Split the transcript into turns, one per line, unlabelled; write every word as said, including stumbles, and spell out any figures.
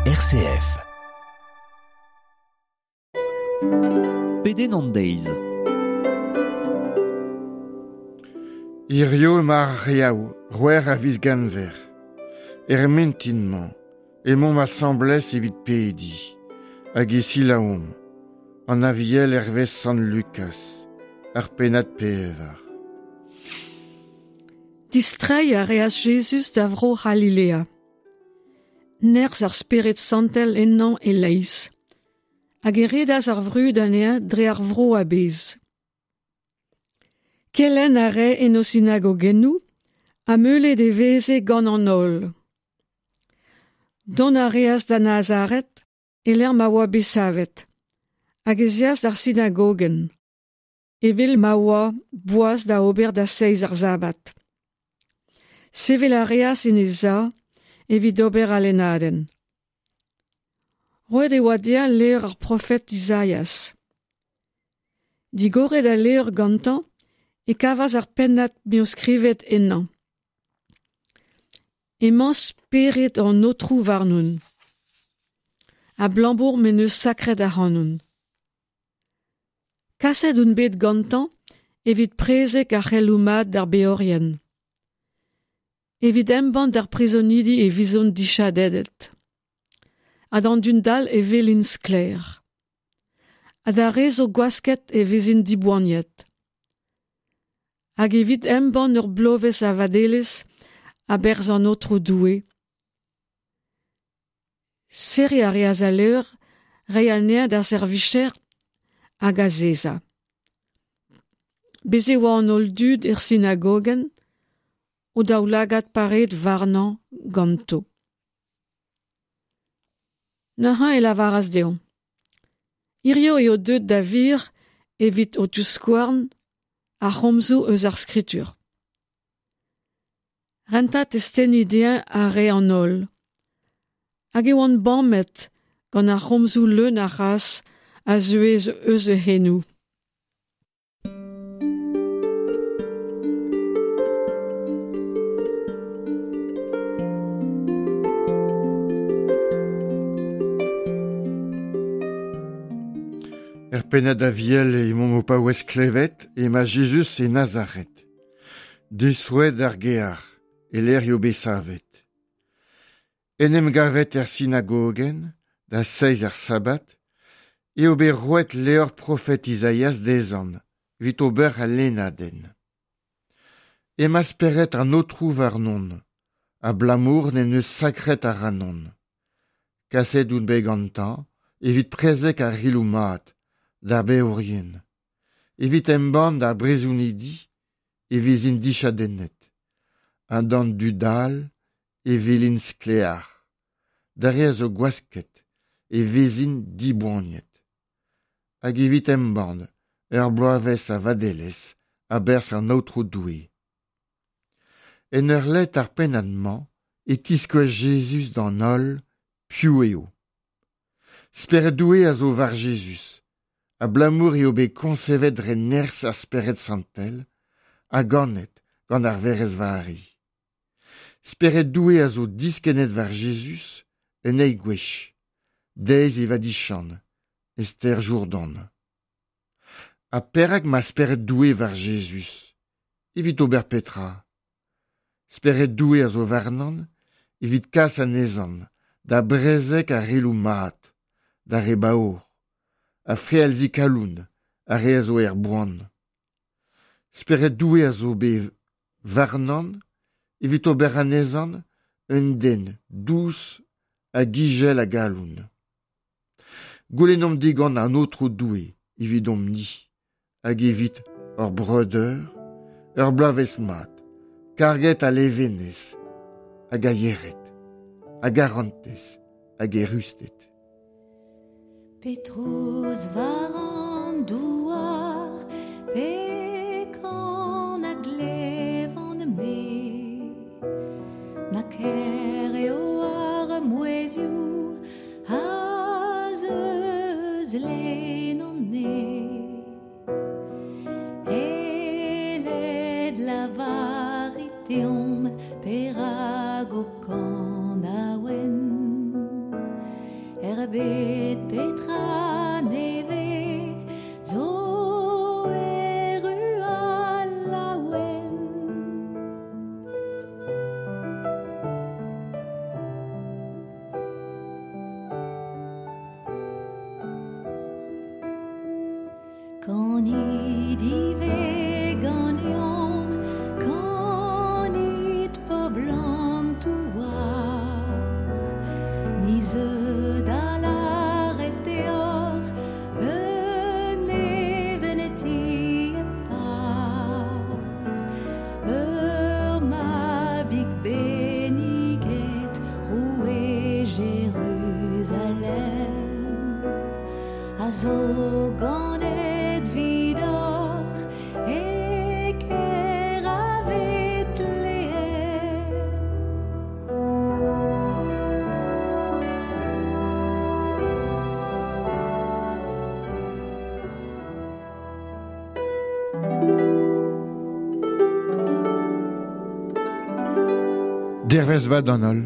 R C F. Pedenn an deiz.
Hirio emañ ar Yaou, c'hwec'h a viz Genver. Er mintin-mañ, emaomp asambles evit pediñ, hag e selaouomp an Aviel hervez Sant Lukaz, ar pennad pevar.
Distreiñ a reas Jezuz da vro C'halilea. Nerzh ar Spered Santel ennañ e-leizh. Hag e redas ar vrud anezhañ dre ar vro a-bezh. Kelenn a rae en o sinagogennoù ha meulet e veze gant an holl. Dont a reas da Nazaret e-lec'h ma oa bet savet, hag ez eas d'ar sinagogenn, evel ma oa boas da ober da zeiz ar sabad. Sevel a reas en e sav evit ober al lennadenn. Roet e oa dezhañ levr ar profed Izaias. Digoret al levr gantañ e kavas ar pennad m'eo skrivet ennañ. Emañ spered an Aotrou warnon, abalamour m'en deus sakret ac'hanon. Kaset on bet gantañ evit prezeg ar c'heloù mat d'ar beorien. Evit embann d'ar prizonidi e vezont dichadennet. Ha d'an dud dall e welint sklaer. Ha d'ar re zo gwasket e vezint diboaniet. Hag evit embann ur bloavezh a vadelezh a-berzh an Aotrou Doue. Serriñ a reas al levr, reiñ anezhañ d'ar servijer hag azezañ. Bez' e oa an holl dud er sinagogenn, o daoulagad paret warnañ ganto. Neuze e lavaras dezho: Hiziv eo deuet da wir evit ho tivskouarn ar c'homzoù eus ar skritur. Rentañ testeni dezhañ a rae an holl. Hag e oant bamet gant ar c'homzoù leun a c'hras a zeue eus e c'henoù.
Er pennad Aviel emaomp o paouez klevet emañ Jezuz e Nazaret. Distroet d'ar gear, e-lec'h eo bet savet. En em gavet er sinagogenn, da zeiz ar sabad, eo bet roet levr profed Izaias dezhañ, evit ober al lennadenn. Emañ spered an Aotrou warnon, abalamour m'en deus sakret ac'hanon. Kaset on bet gantañ evit prezeg ar c'heloù mat, d'ar beorien. Evit embann d'ar brizonidi e vezint dichadennet. Ha d'an dud dall e welint sklaer. D'ar re a zo gwasket e vezint diboaniet. Hag evit embann ur bloavezh a vadelezh a-berzh an Aotrou Doue. En ur lenn ar pennad-mañ e tiskouez Jezuz d'an holl piv eo. Spered Doue a zo war Jezuz, abalamour eo bet koñsevet dre nerzh ar Spered Santel ha ganet gant ar Werc'hez Vari. Spered Doue a zo diskennet war Jezuz un eil gwech, deiz e vadiziant, e stêr Jourdan. Ha perak 'ma Spered Doue war Jezuz? Evit ober petra? Spered Doue a zo warnañ evit kas anezhañ da brezeg ar c'heloù mat, d'ar re baour, ha frealziñ kalon ar re a zo er boan. Spered Doue a zo bet warnañ evit ober anezhañ un den dous hag izel a galon. Goulennomp digant an Aotrou Doue evidomp-ni hag evit hor breudeur ur bloavezh mat, karget a levenez hag a yec'hed, a garantez hag eürusted.
Pe trouz war an douar, pe kan a glevan-me, na kaer eo ar mouezhioù a zeu eus lein an neñv. Aeled, lavarit deomp perak ho kanaouenn. bet petra neve zo erru al laouen. Kanit ive ganeomp, kanit pobl an douar, ni zeu da lâret deoc'h un neveneti e par. Ur mabig benniget, roue Jeruzalem, a zo ganet 'vidoc'h e kêr a Vetlehem.
Dervez vat d'an holl.